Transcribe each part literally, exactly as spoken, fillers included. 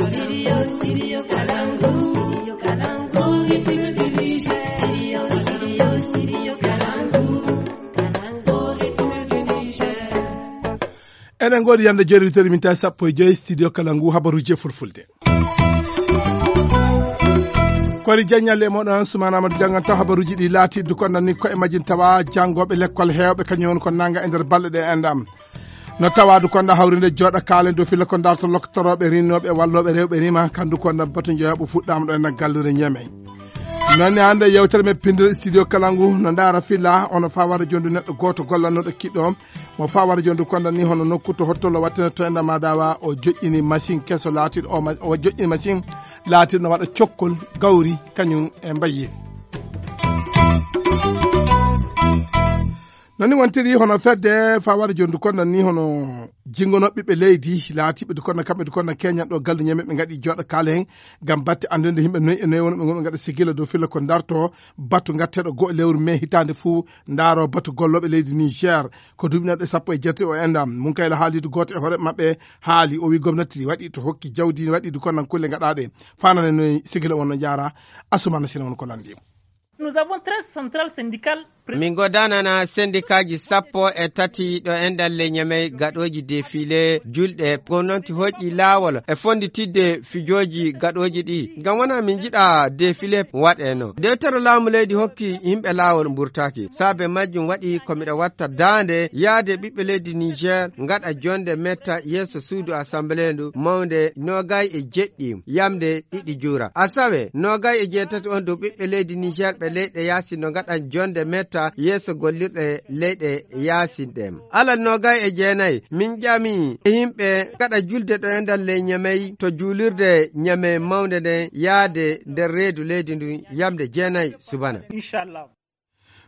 Studio, studio Kalangu. Studio Kalangu. Studio, studio, studio Kalangu. Kalangu, République du Niger. Eɗen ngoodi yande jeeri witeri min tawi sappo e joyi studio kala ngu habaruji e fulfulde. Kori jaññalle e moɗon Sumaana Amadou janngan taw habaruji ɗi laati du konda ni ko e majjin tawa janngoɓe lekkol heewɓe kañum woni ko nanga e nder balɗe ɗe endam. No tawa du konda hawrinde jooɗa kaalen dow filla ko darto loktorooɓe rinnooɓe e wallooɓe rewɓe rima kandu konda batu njoyaɓo fuɗɗama ɗo e naggallude ñeme. Nonne hannde yewtere men pinndere studio kala ngu no ndaara filla ono fawara jondu neɗɗo gooto gollannoɗo kiɗɗo mo fawara jondu konda ni hono nokku to hottollo wattene to enda madawa o joƴƴini machine keso laatiɗo o ma- o joƴƴini machine laatiɗo no waɗa cokkol gawri kañum e mbayye. Nani wontiri hono fedde fawara jondu konda ni hono jingono ɓiɓɓe leydi laatiɓe du konda kamɓe du konda keñan ɗo galdu ñameɓe gaɗi jooɗa kaalen gam batte andude yimɓe noyi e noyi wonɓe gonɓe gaɗa sigila dow filla ko darto batu gatteɗo goo lewru mai hitande fuu ndaaro batu gollooɓe leydi Niger ko duuɓi neɗɗo sappo e jeetati o endam. Munkayla haalidu gooto e hoore maɓɓe haali o wi gomnati waɗi to hokki jawdi waɗi du konnan kulle gaɗaɗe fanane noyi sigila wonno jaara. Asumana sina won ko landi. Nous avons treize centrales syndicales. Min godanana sendikaaji sappo e tati ɗo e nder leñamey gaɗooji defile julɗe gomnati hoƴƴi laawol e fonditidde fijooji gaɗooji ɗi ngam wona min njiɗa defile waɗeno dewtere laamu leydi hokki yimɓe laawol mburtaaki saabe majjum waɗi ko miɗa watta daande yaade ɓiɓɓe leydi Niger ngaɗa jonde metta yeeso suudu assemblée ndu mawnde nogay e jeɗɗi yamde ɗiɗi juura asawe nogay e jeetati on dow ɓiɓɓe leydi Niger ɓe leyɗe yaasi no ngaɗan jonde metta yeeso gollirɗe leyɗe yaasi ɗen alal nogay e jeenayi min ƴami e yimɓe gaɗa julde ɗo e nder ley ñamey to juulirde ñamey mawnde nden yaade nder reedu leydi ndun yamde jeenayi subana.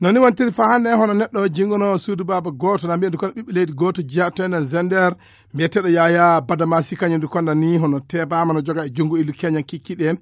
Noni wontiri fa hannde hono neɗɗo jingono suudu baaba gooto na mbiyeɗo kono ɓiɓɓe leydi gooto jeya to enen zender mbiyeteɗo yaya badamasi kañum du konda ni hono tebama no joga e junngo illu keñan kikkiɗe.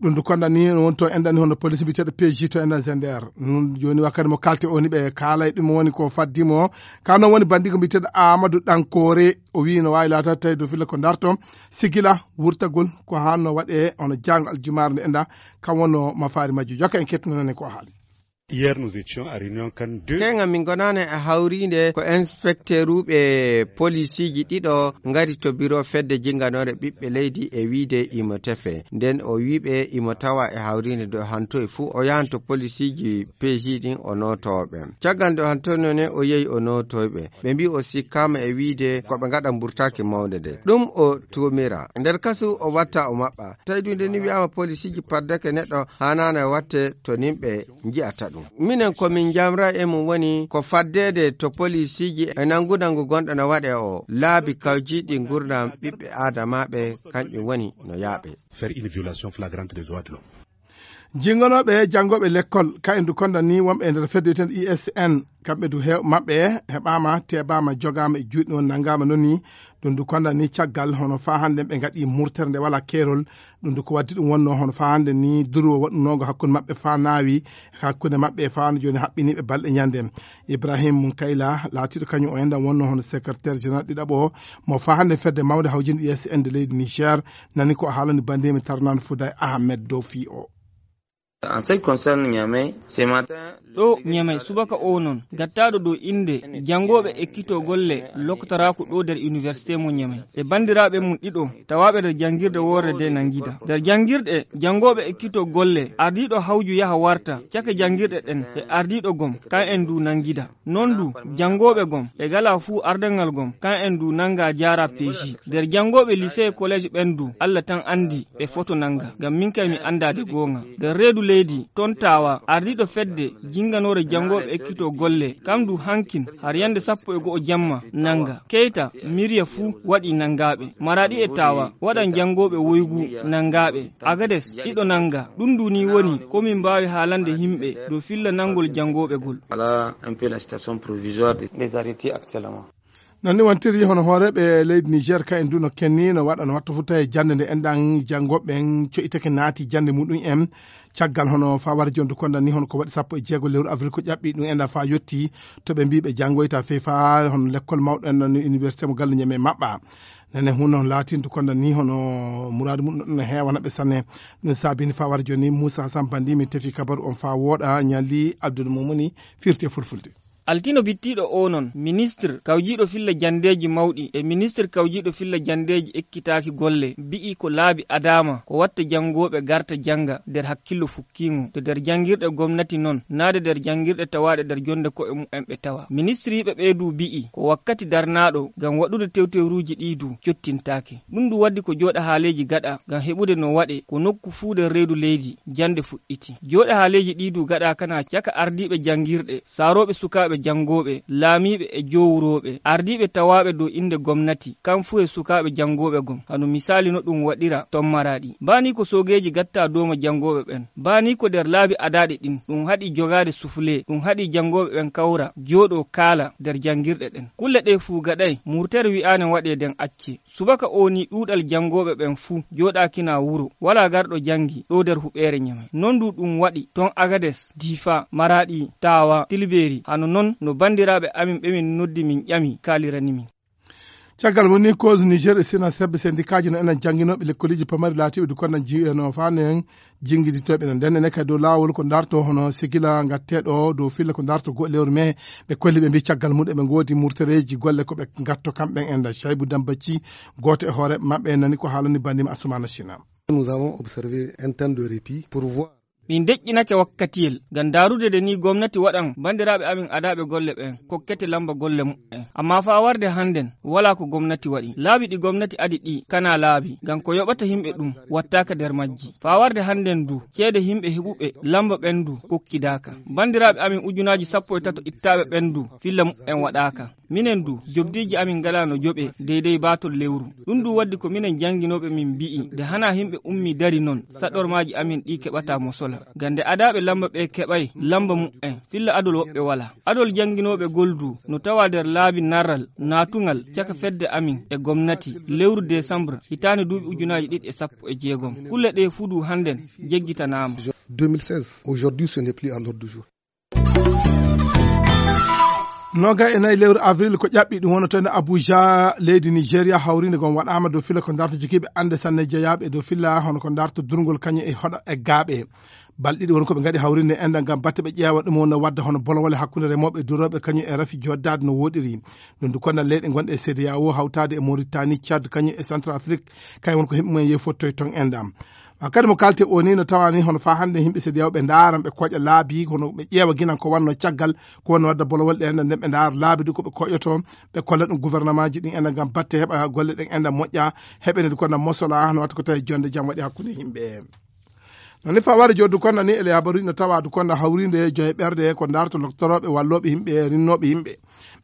Ɗum du konda ni woni to endani hono police mbiyeteɗo pg to enen zender. Ɗum joni wakkati mo kalte o ni ɓe kaala e ɗum woni ko faddimo ka noon woni bandigo mbiyeteɗo amadou ɗankore o wi no wawi laata tawi dow filla ko darto sigila wurtagol ko hanno waɗe hono jango aljumare nde enda kam wonno mafaari majju jokka en kettinanani ko haali. Hier nous étions à réunion kan deux. Kenga min gonani e hawrinde ko inspecteuruɓe polisiji ɗiɗo ngari to biro fedde jinganore ɓiɓɓe leydi e wiide imo tefe nden o wiɓe imo tawa e hawrinde do hantoy fuu o yahan to polisiji peji ɗin o notoɓe caggal nde o hantoyno ne o yehi o notoyɓe ɓe mbi o sikkama e wiide ko ɓe gaɗa mburtaki mawde nde ɗum o tumira nder kasu o watta o maɓɓa tawi ɗum nde ni wiyama polisiji paddake neɗɗo hanana watte to nimɓe nji'ata ɗum minen ko min jamra e mum woni ko faddede to polisiji e nangudangu gonɗo no waɗe o laabi kawjiɗi gurdam ɓiɓɓe adamaɓe kanƴum woni no yaaɓe. Faire une violation flagrante des droits de l'homme. Jingonooɓe janngooɓe lekkol kayen du konda ni wonɓe e nder fedde wiyeteende I S N kamɓe du heew maɓɓe heɓaama teebaama jogaama e juuɗe noon nanngaama noon ni ɗum du konda ni caggal hono faa hannden ɓe ngaɗi murtere nde walaa keerol ɗum du ko waddi ɗum wonnoo hono faa hannden ni durwo waɗunoongo hakkunde maɓɓe faa naawi hakkunde maɓɓe faa no jooni haɓɓiniiɓe balɗe ñande Ibrahim Munkayla laatiiɗo kañum o enɗam wonnoo hono secrétaire général ɗiɗaɓo mo faa hannden fedde mawnde hawjinde I S N de leydi Niger nani ko o haalani banndiimi tarnaan Fuday Ahmed dow fii o. En ce qui concerne Niamey, ce matin, ɗo ñamey subaka o noon gattaaɗo dow innde janngooɓe ekkitoo golle loktoraaku ɗo nder université mo ñamey e banndiraaɓe mum ɗiɗo tawaaɓe nder janngirde woorre de nanngida nder janngirɗe janngooɓe ekkitoo golle ardiiɗo hawju yaha warta cake janngirɗe ɗen e ardiiɗo gom kan en du nanngida noon du janngooɓe gom e gala fuu ardangal gom kan en du nannga jaara peeji nder janngooɓe lycée e collège ɓen du allah tan anndi ɓe foto nannga ngam min kay mi anndaade goonga nder reedu leydi toon taawa ardiiɗo fedde jinnganoore janngooɓe ekkitoo golle kam du hankin har yannde sappo e go'o jamma nannga keyta mirya fuu waɗi nanngaaɓe maraaɗi e taawa waɗan janngooɓe woygu nanngaaɓe agades ɗiɗo nannga ɗum du ni woni ko min mbaawi haalande yimɓe dow filla nanngol janngooɓe gol. Voilà un peu la situation provisoire des arrêtés actuellement. Noon ni wontiri hono hooreeɓe leydi Niger ka en du no kenni no waɗa no watta fof tawi jannde nde enɗan janngoɓe ɓen coytake naati jannde muɗum en caggal hono fawara jondu konda ni hono ko waɗi sappo e jeego lewru avril ko ƴaɓɓi ɗum enɗan fa yetti to ɓe mbi ɓe janngoyta fey fa hono lekkol mawɗo en noon université mo galle ñame maɓɓa Nane huno latin dukonda ni hono muradu mum no heewana ɓe sanne. Ɗum saabini faa wara jooni Muusa Hasan Bandi min tefi kabaru on faa wooɗa ñalli Abdul Mumuni firti e fulfulde. Altino bittiiɗo o non, ministre kawjiiɗo filla janndeeji mawɗi e ministre kawjiiɗo filla janndeeji ekkitaaki golle mbi'i ko laabi adaama ko watta janngooɓe garta jannga nder hakkillo fukkiingo, de nder janngirɗe gomnati non, naa de nder janngirɗe tawaaɗe nder jonnde ko'e mumen ɓe tawa. Ministriiɓe ɓee du mbi'i ko wakkati darnaaɗo ngam waɗude tewtewruuji ɗii du cottintaake. Ɗum du waddi ko jooɗa haaleeji gaɗa ngam heɓude no waɗe ko nokku fuu nder reedu leydi jannde fuɗɗiti. Jooɗa haaleeji ɗii du gaɗa kana caka ardiiɓe janngirɗe, saarooɓe sukaaɓe janngooɓe, laamiiɓe e jowrooɓe, ardiiɓe tawaaɓe dow innde gomnati, kam fuu e sukaaɓe janngooɓe gom. Hano misaali no ɗum waɗira ton Maraɗi. Mbaani ko soogeeji gatta dooma janngooɓe ɓen. Mbaani ko nder laabi adaaɗi ɗin, ɗum haɗi jogaade sufle, ɗum haɗi janngooɓe ɓen kawra, jooɗoo kaala nder janngirɗe ɗen. Kulle ɗee fuu gaɗay, murtere wi'aane waɗee nden accee. Subaka oo nii ɗuuɗal janngooɓe ɓen fuu jooɗaakina wuro, walaa garɗo janngi ɗoo nder huɓeere Ñamey. Non du ɗum waɗi ton Agades, Diifa, Maraɗi, Taawa, Tilbeeri, hano non no banndiraaɓe amin ɓe min noddi min ƴami kaalirani min. Caggal woni cause Niger e Sina sebbe sendikaaji no enen jannginooɓe lekkoleeji pamari laatiiɓe du konnan jiyano faa nen jinngiditooɓe no nden enen kadi dow laawol ko ndarto hono sigila ngatteeɗo dow filla ko ndarto go lewru mee. Ɓe kolli ɓe mbi caggal mum eɓe ngoodi murtereeji golle ko ɓe ngatto kamɓen en da Caybu Dambacci, gooto e hooreeɓe maɓɓe nani ko haalani banndima Asumana Sina. Nous avons observé un temps de répit pour voir. Min deƴƴinake wakkatiyel ngam ndaarude de ni gomnati waɗan banndiraaɓe amin adaaɓe golle ɓen kokkete lamba golle mumen. Amma faa warde hannden, walaa ko gomnati waɗi. Laabi ɗi gomnati adi ɗi kana laabi, ngam ko yoɓata yimɓe ɗum wattaaka nder majji. Faa warde hannden du, ceede yimɓe heɓuɓe lamba ɓen du kokkidaaka. Banndiraaɓe amin ujunaaji sappo e tato ittaaɓe ɓen du, filla mumen waɗaaka. Minen du, jobdiiji amin ngalaa no joɓee deydey baatol lewru. Ɗum du waddi ko minen jannginooɓe min mbi'i, nde hanaa yimɓe ummii dari non, saɗormaaji amin ɗii keɓataa mosola. Ngam nde adaaɓe lamba ɓee keɓay lamba mumen, filla adol woɓɓe walaa. Adol jannginooɓe ngol du no tawaa nder laabi narral naatungal caka fedde amin e gomnati lewru desambre hitaande duuɓi ujunaaji ɗiɗi e sappo e jeegom. Kulle ɗee fuu du hannden jeggitanaama. Deux mille seize, aujourd'hui ce n'est plus à l'ordre du jour. Noga e nayi lewru avril ko ƴaɓɓi ɗum wonata ene Abuja, leydi Nigeria, hawriinde gom waɗaama dow filla ko ndarto jogiiɓe annde sanne jeyaaɓe e dow filla hono ko ndarto durngol kañum e hoɗa e gaaɓe. Balɗe ɗiɗi woni ko ɓe ngaɗi hawriinde enda ngam batte ɓe ƴeewa ɗum wonno wadda hono bolowole hakkunde remooɓe e durooɓe kañum e rafi joddaade no woɗiri. Ɗum du konna leyɗe gonɗe e C D A O hawtaade e Mauritanie, Tchad kañum e Centrafrique, kañum woni ko himɓe mumen yehi fottoy ton enda. Wakkati mo kalte o ni no tawa ni hono faa hannde yimɓe C D A O ɓe ndaaran ɓe koƴa laabi, kono ɓe ƴeewa ginan ko wanno caggal, ko wanno wadda bolowol ɗe enda nden ɓe ndaara laabi du ko ɓe koƴoto, ɓe kolla ɗum gouvernement ji ɗin enda ngam batte heɓa golle ɗen enda moƴƴa, heɓene du konna mosola, no watta ko tawi jonde jam waɗi hakkunde yimɓe. No ni faa wara joddu konna ni ele habaru no tawa du konna hawrinde joye ɓerde ko ndarto loktorooɓe wallooɓe yimɓe, rinnooɓe yimɓe.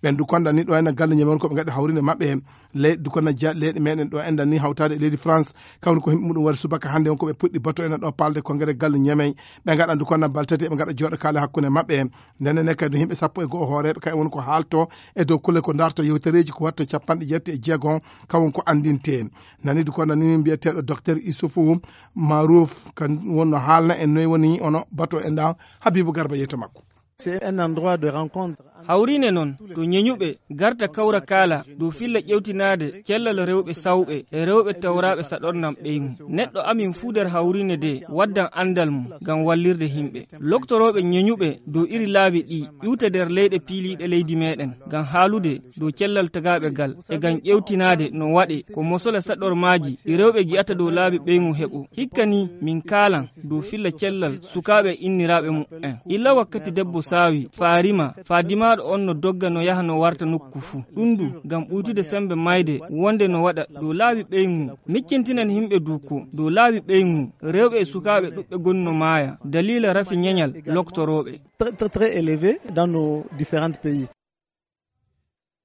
Ɓen du konna ni ɗo ena galle ñamon ko ɓe ngaɗi hawrinde maɓɓe. Leyɗe du konna ja-, leyɗe meɗen ɗo enda ni hawtaade e leydi France, kawni ko himɓe muɗum wari subaka hannde on ko ɓe puɗɗi bato ena ɗo palde konngere galle ñamey. Ɓe ngaɗan du konna baltati, ɓe ngaɗa jooɗo kaale hakkunde maɓɓe. Nden ne kadi himɓe sappo e go'o hooreeɓe kay woni ko haalto e dow kulle ko ndarto yewtereeji ko watto capanɗe jeetati e jeegom, kawon ko anndinte. Nani du konna ni mbiyeteeɗo docteur Issoufou Marouf, kan wonno haalna en noy woni ono bato e ndan Habibou Garba yeeto makko. C'est un endroit de rencontre. Hawriine non, to ñeñuɓe garta kawra kaala dow filla ƴewtinaade cellal rewɓe sawɓe e rewɓe tawraaɓe saɗornam ɓeyngu. Neɗɗo amin fuu nder hawriine de waddan anndal mum ngam wallirde yimɓe. Loktorooɓe ñeñuɓe dow iri laabi ɗi ƴuwte nder leyɗe piiliiɗe leydi meɗen ngam haalude dow cellal tagaaɓe gal e ngam ƴewtinaade no waɗe ko mosola saɗormaaji ɗi rewɓe gi'ata dow laabi ɓeyngu heɓo. Hikka ni min kaalan dow filla cellal sukaaɓe e inniraaɓe mumen. Illa wakkati debbo saawi, faa rima, faa dimaaɗo on no dogga no yaha no warta nokku fuu. Ɗum du ngam ɓuytude semmbe mayde wonde no waɗa dow laabi ɓeyngu. Miccintinen yimɓe du ko dow laabi ɓeyngu, rewɓe e sukaaɓe ɗuɓɓe goni no maaya daliila rafi ñeñal loktorooɓe. Très, très, très élevé dans nos différents pays.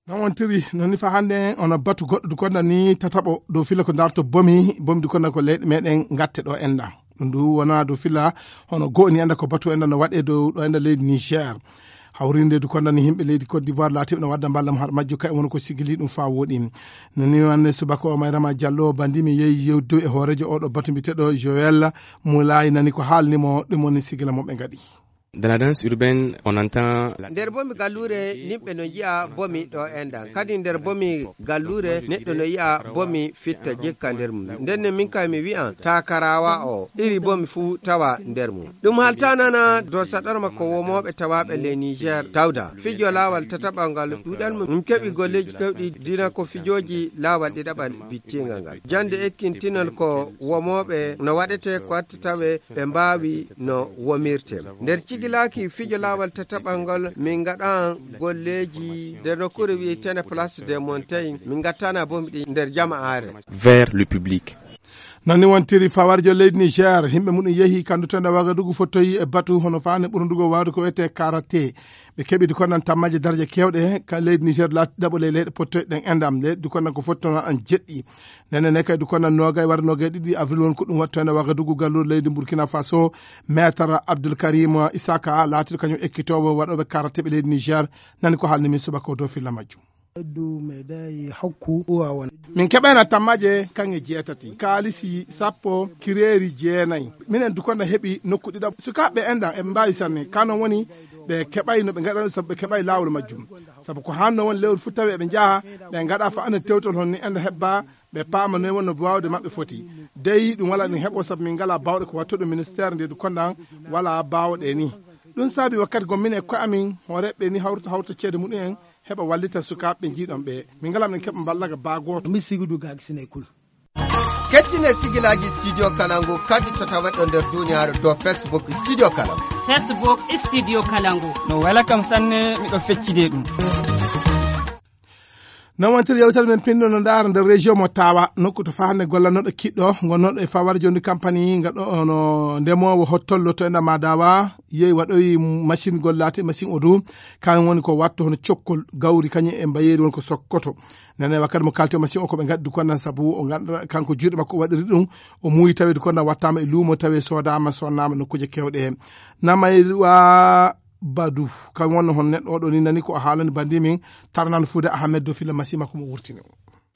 Non wontiri, non ni fa hannde ono batu goɗɗo du konda ni tataɓo dow filla ko ndarto bomi, bomi du konda ko leyɗe meɗen ngatte ɗo enda. Ɗum du wona dow filla hono go'o ni enda ko batu enda no waɗe dow ɗo enda leydi Niger. Hawrinde du konda ni yimɓe leydi Côte d'Ivoire laatiɓe no wadda mballa mo har majjo kay woni ko sigili ɗum fa woɗi. No ni wonde subaka o Mayrama Diallo bandi mi yehi yewdu e hoorejo oɗo batu mbiteɗo Joël Moulay nani ko haalni mo ɗum woni sigila mo ɓe ngaɗi. Dans la danse urbaine, on entend la... Nder bomi galluure, yimɓe no nji'a bomi ɗo enɗan. Kadi nder bomi galluure, neɗɗo no yi'a bomi fitta jikka nder mum. Nden ne min kay mi wi'an, takaraawa o, iri bomi fuu tawa nder mum. Ɗum haltanana dow saɗorma ko womooɓe tawaaɓe ley Niger tawda. Fijo laawal tataɓal ngal ɗuuɗal mum. Min keɓi golleeji kewɗi dina ko fijooji laawal ɗiɗaɓal bittingal ngal. Jannde ekkintinol ko womooɓe no waɗete ko watta tawe ɓe mbaawi no womirte. Nder cigilaaki fijo laawal tataɓal ngol, min ngaɗan golleeji nder nokkuure wi'eteende Place des Montagnes, min ngattana bomi ɗi nder jama'aare. Vers le public. Noon ni wontiri fawarjo leydi Niger, yimɓe mum yehi kandu tenda Wagadugu fottoyi e batu hono faande ɓurndugo waawde ko wiyetee karate. Ɓe keɓi dukonnan tammaaje darje keewɗe ka leydi Niger laati ɗaɓo ley leyɗe pottoyɗe ɗen enɗam. Leyɗe dukonnan ko fottono an jeɗɗi. Nene ne kay dukonnan noogay wara noogay ɗiɗi avril won ko ɗum wattoyno Wagadugu galluure leydi Burkina Faso. Maître Abdoul Karim Isaka laatiɗo kañum ekkitoowo waɗooɓe karate ɓe leydi Niger. Nani ko haalni min subaka o dow filla majjum. Ɓeddu meeɗaay hokku uwa won. Min keɓayno tammaaje kaŋŋe jeetati, kaalisi sappo, kireeri jeenayi. Minen dukonda heɓi nokku ɗiɗaɓo. Sukaaɓe enɗan eɓe mbaawi sanne. Ka non woni ɓe keɓay no ɓe ngaɗano sabu ɓe keɓay laawol majjum. Sabu ko hanno woni lewru fuu tawi eɓe njaha, ɓe ngaɗa fa ande tewtol hon ni enɗan heɓba, ɓe paama noy wonno waawde maɓɓe foti. Dey ɗum wala ɗum heɓo sabu min ngala baawɗe ko wattuɗo ministère nde dukondan wala baawɗe ni. Ɗum saabi wakkati gommin e koye amin, hooreɓe ni hawrita hawrita ceede muɗum en, heɓa wallita sukaaɓe ɓe njiiɗon ɓe. Min ngala min keɓa mballaga baa gooto. Mi sigudu gaagi sinay kul. Kettine sigilaaji Studio Kalangu kadi to taweɗo nder duniyaaru dow Facebook Studio Kalangu. Facebook Studio Kalangu. No wela kam sanne, miɗo feccide ɗum. Noon wontiri yewtere men pinɗo no ndaara nder région mo Tawa, nokku to fahande gollannoɗo kiɗɗo, gonnoɗo e fawar jondi kampanyi, ngaɗo ono ndemoowo hottollo to enda Madawa, yehi waɗoyi machine gollati, machine o du, kan woni ko watto hono cokkol, gawri kañum e mbayeeri woni ko sokkoto. Nane wakkati mo kalti machine o ko ɓe ngaddi ko nan sabu o ganduɗa kanko juuɗe makko o waɗiri ɗum, o muuyi taweede ko nan wattama e luumo tawe soodama, sonnama nokkuje kewɗe. Namaywa Badu, kam wonno hon neɗɗo oɗo ni nani ko o haalani bandi min, Tarnan Fuuda Ahmed do filla machine makko mo wurtini.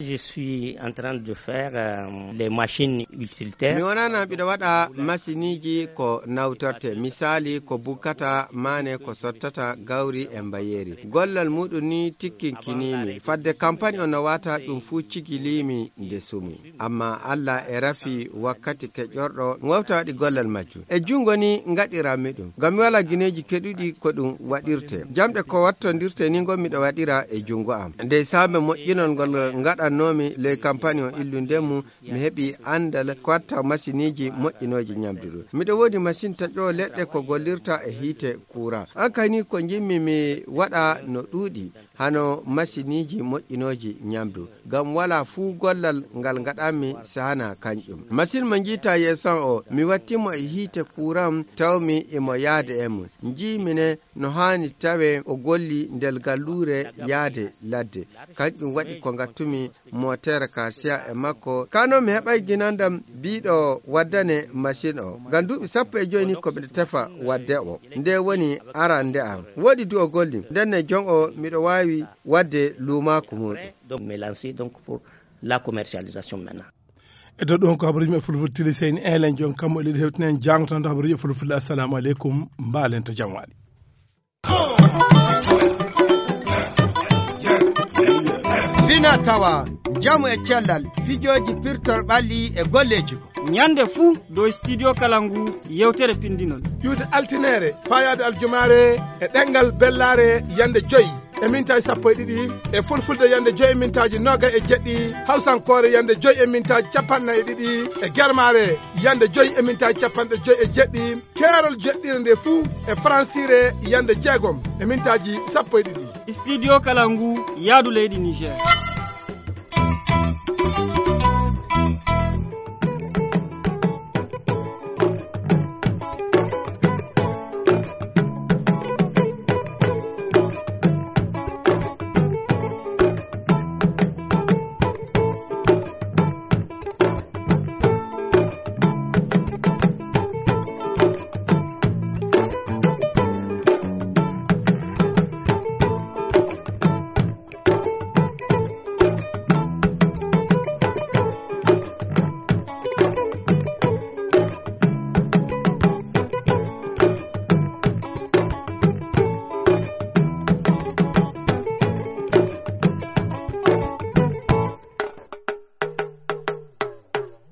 Je suis en train de faire, euh, les machines utilitaires. Mi wonana mbiɗo waɗa masiniji ko nawtorte, misali ko bukkata maane, ko sottata gawri e mbayeeri. Gollal muɗum ni tikkinkinimi. Fadde kampani o no wata ɗum fuu cigilimi nde sumi. Amma Allah e rafi wakkati keƴorɗo wawta waɗi gollal majjum. E jungo ni ngaɗiranmi ɗum. Ngam mi wala gineeji keɗuɗi ko ɗum waɗirte. Jamɗe ko wattondirte ni ngon miɗo waɗira e jungo am. Ndey saabe moƴƴinol ngol ngaɗannomi ley kampani o illunde mum, mi heɓi andal ko watta masiniji moƴƴinooji nyamdu ɗum. Miɗo woodi masin taƴoowo leɗɗe ko gollirta e hiite kuuran. An kay ni ko njimmi mi waɗa no ɗuuɗi, hano masiniji moƴƴinooji nyamdu. Ngam wala fuu gollal ngal ngaɗanmi sahana kanƴum. Masin mo njiita yeeso o, mi wattimo e hiite kuuran, tawmi imo yaade e mum. Njiimi ne no haani tawe o golli ndel galluure yaade ladde. Kanƴum waɗi ko ngattumi motere ka siya e makko. Kano mi heɓay ginandam biiɗo waddane masin o. Ngam duuɓi sappo e joyi ni ko miɗo tefa wadde o. Nde woni arande am. Woodi du o golli. Nden ne jon o miɗo waawi wadde luumaaku muɗum. Donc, me lancer donc pour la commercialisation maintenant. E dow ɗum ko habaruji maɓɓe fulfulde tili seyni elen jon kammo e leydi hewtinen jango tan to habaruji fulfulde. Assalamu aleykum, mbaalen to jam waali. Fina tawa, njamu e cellal, fijooji pirtol ɓalli e golleeji ko. Ñande fuu dow studio kala ngu yewtere pinndinol. Ƴuwde altineere, fayaade aljumaare, e ɗemngal bellaare, yande joy e mintaaji sappo e ɗiɗi, e fulfulde yande joy e mintaaji noogay e jeɗɗi, hawsankoore yande joy e mintaaji capanɗe nayi e ɗiɗi, e germaare yande joy e mintaaji capanɗe joy e jeɗɗi, keerol joɗɗire nde fuu e faransiire yande jeegom e mintaaji sappo e ɗiɗi. Studio kala ngu yaadu leydi Niger.